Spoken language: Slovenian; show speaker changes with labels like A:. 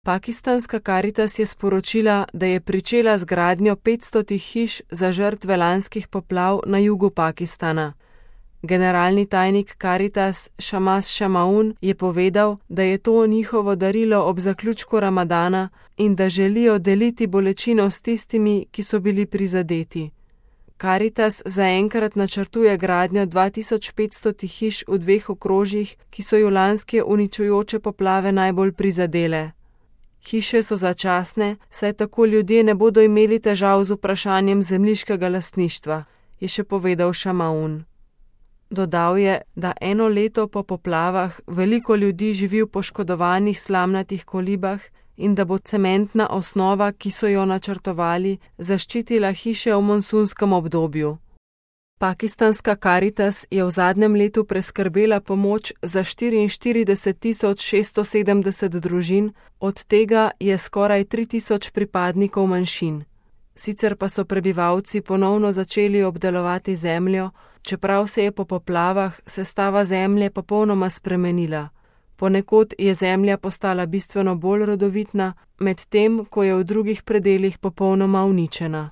A: Pakistanska Karitas je sporočila, da je pričela z gradnjo 500 hiš za žrtve lanskih poplav na jugu Pakistana. Generalni tajnik Karitas Shamas Shamaun je povedal, da je to njihovo darilo ob zaključku Ramadana in da želijo deliti bolečino s tistimi, ki so bili prizadeti. Karitas zaenkrat načrtuje gradnjo 2500 hiš v 2 okrožjih, ki so jo lanske uničujoče poplave najbolj prizadele. Hiše so začasne, saj tako ljudje ne bodo imeli težav z vprašanjem zemljiškega lastništva, je še povedal Shamaun. Dodal je, da 1 leto po poplavah veliko ljudi živi v poškodovanih slamnatih kolibah in da bo cementna osnova, ki so jo načrtovali, zaščitila hiše v monsunskem obdobju. Pakistanska Karitas je v zadnjem letu preskrbela pomoč za 44.670 družin, od tega je skoraj 3000 pripadnikov manjšin. Sicer pa so prebivalci ponovno začeli obdelovati zemljo, čeprav se je po poplavah sestava zemlje popolnoma spremenila. Ponekod je zemlja postala bistveno bolj rodovitna, medtem ko je v drugih predelih popolnoma uničena.